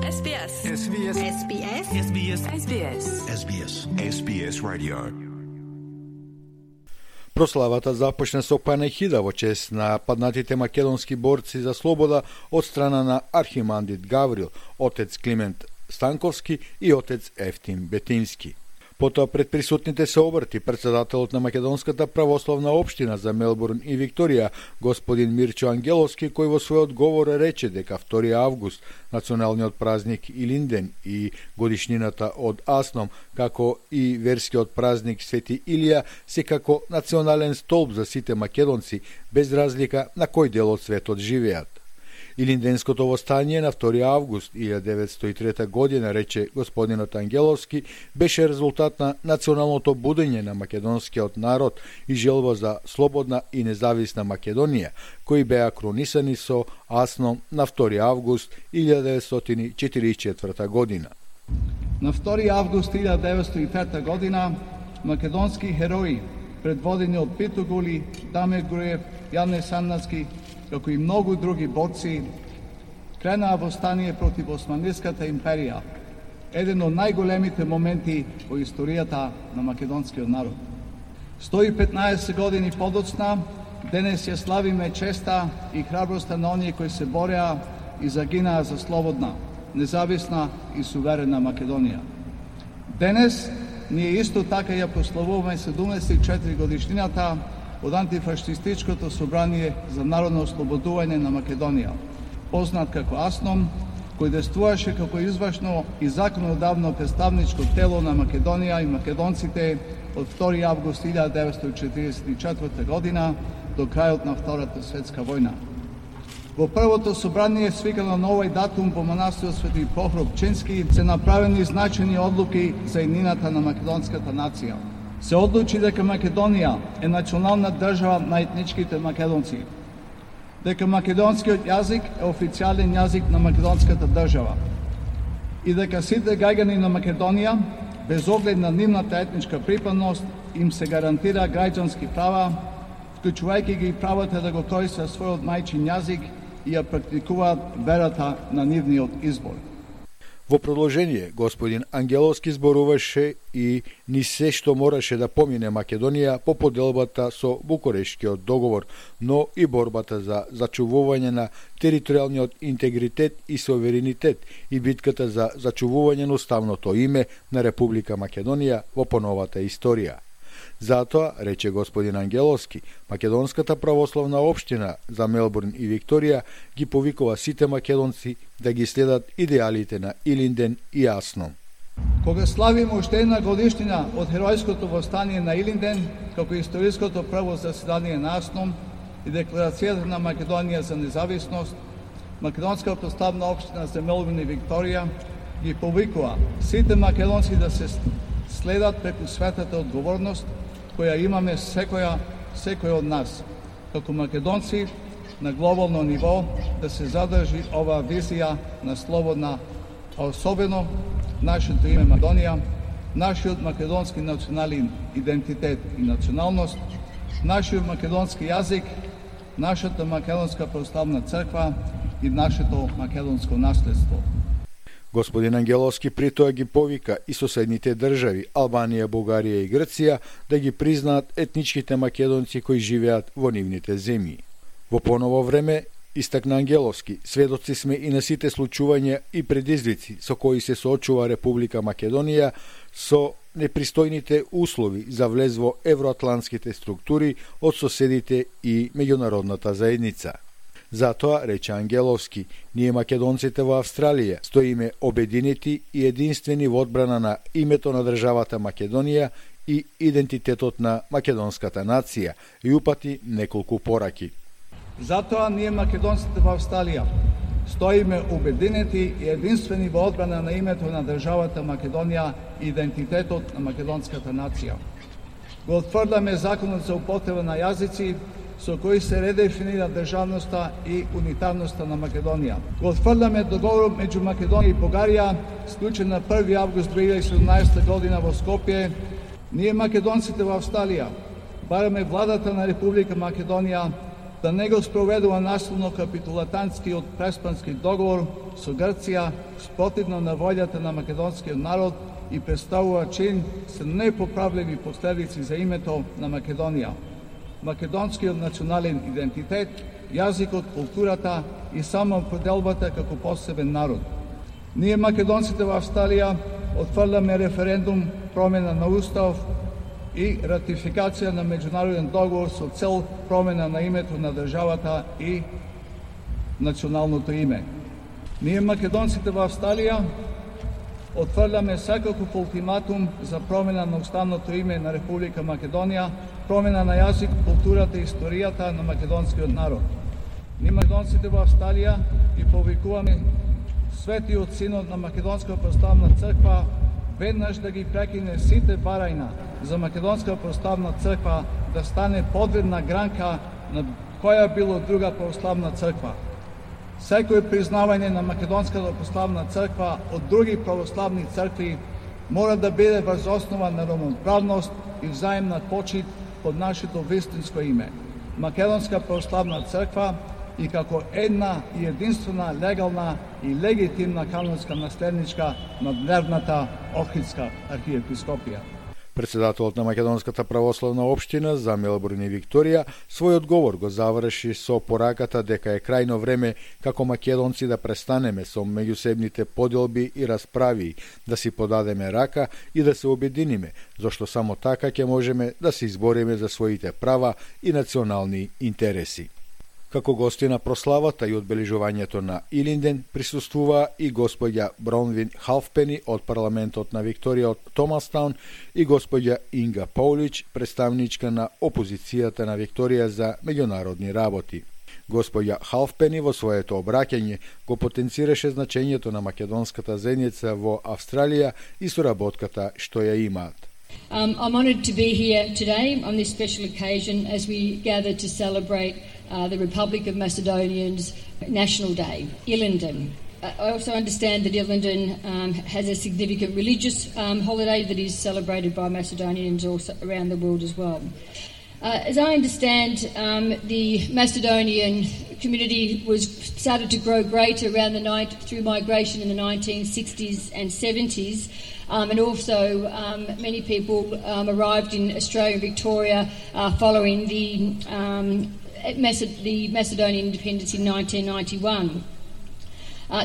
SBS. SBS. SBS. SBS. SBS. SBS. SBS Radio. Прославата започна со панехида во чест на паднатите македонски борци за слобода од страна на архимандрит Гаврил, отец Климент Станковски и отец Ефтим Бетински. Потоа пред присутните се обрати председателот на Македонската православна општина за Мелбурн и Викторија, господин Мирчо Ангеловски, кој во својот говор рече дека 2 август, националниот празник Илинден и годишнината од Асном, како и верскиот празник Свети Илија, се како национален столб за сите македонци, без разлика на кој дел од светот живеат. Илинденското востание на 2 август 1903 година, рече господинот Ангеловски, беше резултат на националното будење на македонскиот народ и желба за слободна и независна Македонија, кои беа кронисани со Асном на 2 август 1944 година. На 2 август 1903 година македонски херои, предводени од Пито Гули, Дамир Груев, Јане Саннацки, како и многу други борци, кренаа востание против Османлиската империја, еден од најголемите моменти во историјата на македонскиот народ. 115 години подоцна, денес ја славиме честа и храброста на оние кои се бореа и загинаа за слободна, независна и суверена Македонија. Денес ние исто така ја прославуваме 74 годишнината од антифашистичкото собрание за народно ослободување на Македонија, познат како Асном, кој действуваше како извршно и законодавно представничко тело на Македонија и македонците од 2 август 1944 година до крајот на Втората светска војна. Во првото собрание, свикано на овој датум во манастирот Свети Прохор Пчински, се направени значени одлуки за еднината на македонската нација. Се одлучи дека Македонија е национална држава на етничките македонци, дека македонскиот јазик е официјален јазик на македонската држава и дека сите граѓани на Македонија, без оглед на нивната етничка припадност, им се гарантира граѓански права, вклучувајќи ги правото да го користат својот мајчин јазик и ја практикуваат верата на нивниот избор. Во продолжение, господин Ангеловски зборуваше и ни се што мораше да помине Македонија по поделбата со Букурештскиот договор, но и борбата за зачувување на територијалниот интегритет и суверенитет и битката за зачувување на уставното име на Република Македонија во поновата историја. Затоа, рече господин Ангеловски, Македонската православна општина за Мелбурн и Викторија ги повикува сите македонци да ги следат идеалите на Илинден и Асном. Кога славиме уште една годишнина од херојското востание на Илинден, како историското прво заседание на Асном и декларацијата на Македонија за независност, Македонска православна општина за Мелбурн и Викторија ги повикува сите македонци да се следат преку светата одговорност која имаме секој од нас, како македонци на глобално ниво, да се задржи оваа визија на слободна, а особено нашето име Македонија, нашиот македонски национален идентитет и националност, нашиот македонски јазик, нашата македонска православна црква и нашето македонско наследство. Господин Ангеловски притоа ги повика и соседните држави, Албанија, Бугарија и Грција, да ги признаат етничките македонци кои живеат во нивните земји. Во поново време, истакна Ангеловски, сведоци сме и на сите случувања и предизвици со кои се соочува Република Македонија со непристојните услови за влез во евроатлантските структури од соседите и меѓународната заедница. Затоа, рече Ангеловски, ние македонците во Австралија стоиме обединети и единствени во одбрана на името на државата Македонија и идентитетот на македонската нација и упати неколку пораки. Затоа ние македонците во Австралија стоиме обединети и единствени во одбрана на името на државата Македонија и идентитетот на македонската нација. Го отфрляме законот за употреба на јазици со кои се редефинира државноста и унитарноста на Македонија. Го отфрляме договорот меѓу Македонија и Бугарија, склучен на 1 август 2017 година во Скопје. Ние македонците во Австралија бараме владата на Република Македонија да не го спроведува насилно капитулатантскиот преспански договор со Грција спротивно на волјата на македонскиот народ и представува чин со непоправливи последици за името на Македонија, македонскиот национален идентитет, јазикот, културата и самоопределбата како посебен народ. Ние македонците во Австралија отфрляме референдум, промена на устав и ратификација на меѓународен договор со цел промена на името на државата и националното име. Ние македонците во Австралија отфрляме секаков ултиматум за промена на уставното име на Република Македонија, промена на јазик, културата и историјата на македонскиот народ. Ние македонците во Австралија ги повикуваме Светиот Синод на Македонска православна црква веднаш да ги прекине сите барања за Македонска православна црква да стане подредна гранка на која било друга православна црква. Секој признавање на Македонската православна црква од други православни цркви мора да биде врз основа на равноправност и взаимна почит под нашето вистинско име. Македонска православна црква и како една и единствена легална и легитимна канонска наследничка на древната Охридска архиепископија. Председателот на Македонската православна општина за Мелбурн и Викторија својот говор го заврши со пораката дека е крајно време како македонци да престанеме со меѓусебните поделби и расправи, да си подадеме рака и да се обединиме, зашто само така ќе можеме да се избориме за своите права и национални интереси. Како гости на прославата и одбележувањето на Илинден присуствува и господја Бронвин Халфпени од парламентот на Викторија од Томастаун и господја Инга Паулич, представничка на опозицијата на Викторија за меѓународни работи. Господја Халфпени во своето обраќање го потенцираше значењето на македонската заедница во Австралија и соработката што ја имаат. I'm honoured to be here today on this special occasion as we gather to celebrate the Republic of Macedonia's National Day, Ilinden. I also understand that Ilinden has a significant religious holiday that is celebrated by Macedonians also around the world as well. As I understand, the Macedonian community started to grow greater around through migration in the 1960s and 70s, and also many people arrived in Australia and Victoria following the Macedonian independence in 1991.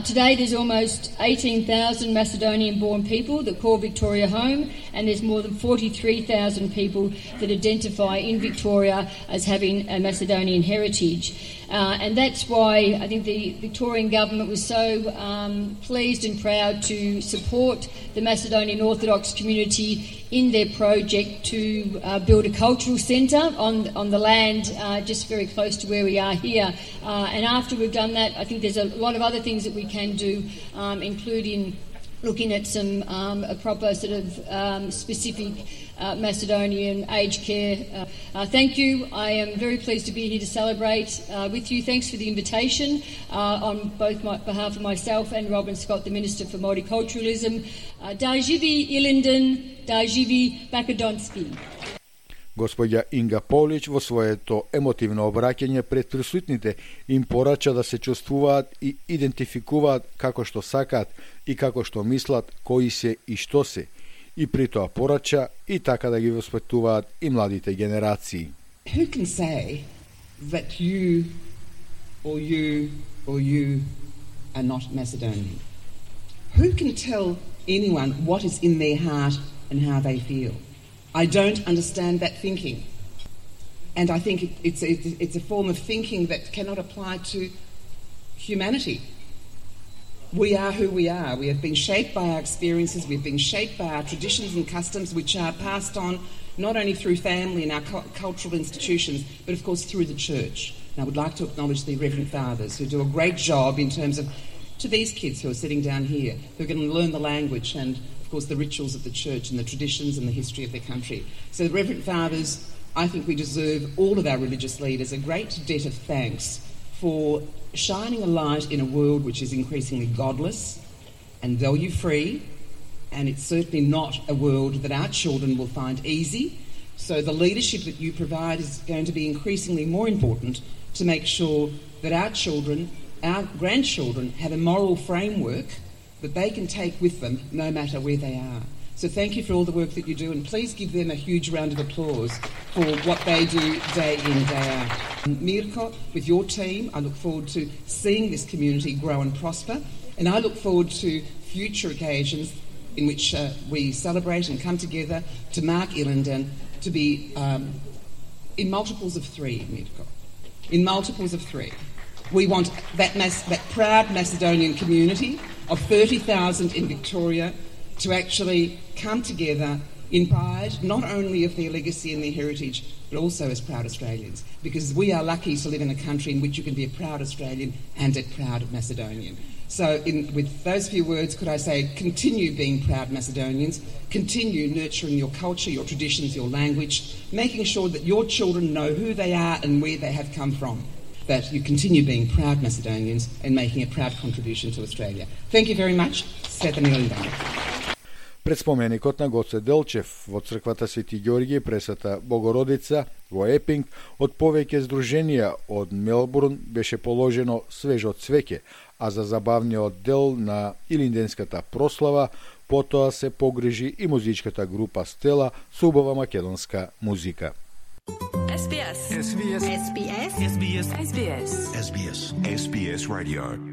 Today there's almost 18,000 Macedonian-born people that call Victoria home, and there's more than 43,000 people that identify in Victoria as having a Macedonian heritage. And that's why I think the Victorian government was so pleased and proud to support the Macedonian Orthodox community in their project to build a cultural centre on the land just very close to where we are here. And after we've done that, I think there's a lot of other things that we can do, including looking at some a proper sort of specific Macedonian aged care. Thank you. I am very pleased to be here to celebrate with you. Thanks for the invitation on both behalf of myself and Robin Scott, the Minister for Multiculturalism. Da živi Ilinden, da živi Makedonski. Господја Инга Полич во своето емотивно обраќање пред присутните им порача да се чувствуваат и идентификуваат како што сакаат и како што мислат, кои се и што се, и при тоа порача и така да ги воспитуваат и младите генерации. Who can say that you are not Macedonian? Who can tell anyone what is in their heart and how they feel? I don't understand that thinking, and I think it's a form of thinking that cannot apply to humanity. We are who we are. We have been shaped by our experiences. We've been shaped by our traditions and customs, which are passed on not only through family and our cultural institutions, but of course through the church. And I would like to acknowledge the Reverend Fathers who do a great job in terms of, to these kids who are sitting down here, who are going to learn the language and of course the rituals of the church and the traditions and the history of their country. So the Reverend Fathers, I think we deserve, all of our religious leaders, a great debt of thanks for shining a light in a world which is increasingly godless and value-free, and it's certainly not a world that our children will find easy. So the leadership that you provide is going to be increasingly more important to make sure that our children, our grandchildren, have a moral framework that they can take with them no matter where they are. So thank you for all the work that you do, and please give them a huge round of applause for what they do day in, day out. Mirko, with your team, I look forward to seeing this community grow and prosper, and I look forward to future occasions in which we celebrate and come together to mark Ilinden to be in multiples of 3, Mirko. In multiples of 3. We want that proud Macedonian community of 30,000 in Victoria to actually come together in pride, not only of their legacy and their heritage, but also as proud Australians, because we are lucky to live in a country in which you can be a proud Australian and a proud Macedonian. So with those few words, could I say, continue being proud Macedonians, continue nurturing your culture, your traditions, your language, making sure that your children know who they are and where they have come from, that you continue being proud Macedonians and making a proud contribution to Australia. Thank you very much. Света Ilinden. Пред споменикот на Гоце Делчев во црквата Свети Ѓорѓи пресвета Богородица во Епинг од повеќе здруженија од Мелбурн беше положено свежо цвеќе, а за забавниот дел на илинденската прослава потоа се погрижи и музичката група Стела со убава македонска музика. SBS. SBS. SBS. SBS. SBS. SBS Radio.